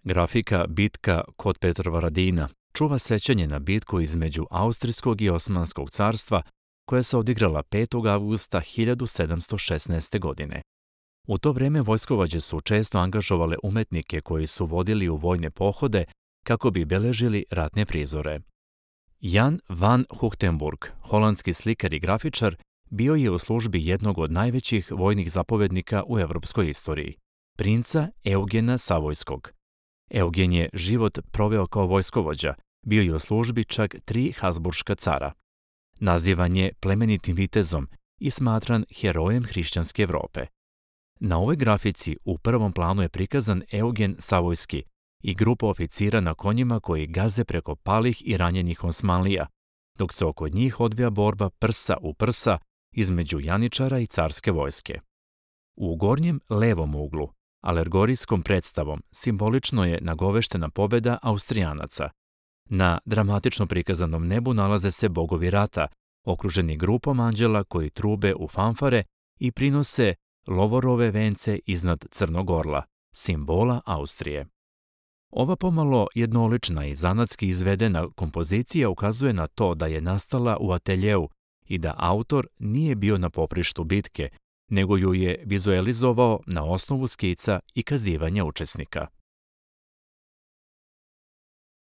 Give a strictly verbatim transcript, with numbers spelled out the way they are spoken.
Grafika Bitka kod Petrovaradina čuva sjećanje na bitku između Austrijskog i Osmanskog carstva koja se odigrala petog avgusta hiljadu sedamsto šesnaeste. godine. U to vrijeme vojskovođe su često angažovale umetnike koji su vodili u vojne pohode kako bi beležili ratne prizore. Jan van Huchtenburg, holandski slikar i grafičar, bio je u službi jednog od najvećih vojnih zapovednika u europskoj istoriji, princa Eugena Savojskog. Eugen je život proveo kao vojskovođa, bio je u službi čak tri Habsburška cara. Nazivan je plemenitim vitezom i smatran herojem hrišćanske Evrope. Na ovoj grafici u prvom planu je prikazan Eugen Savojski i grupa oficira na konjima koji gaze preko palih i ranjenih Osmanlija, dok se oko njih odvija borba prsa u prsa između janičara i carske vojske. U gornjem levom uglu, alegorijskom predstavom, simbolično je nagoveštena pobjeda Austrijanaca. Na dramatično prikazanom nebu nalaze se bogovi rata, okruženi grupom anđela koji trube u fanfare i prinose lovorove vence iznad Crnog orla, simbola Austrije. Ova pomalo jednolična i zanatski izvedena kompozicija ukazuje na to da je nastala u ateljeu i da autor nije bio na poprištu bitke, nego ju je vizualizovao na osnovu skica i kazivanja učesnika.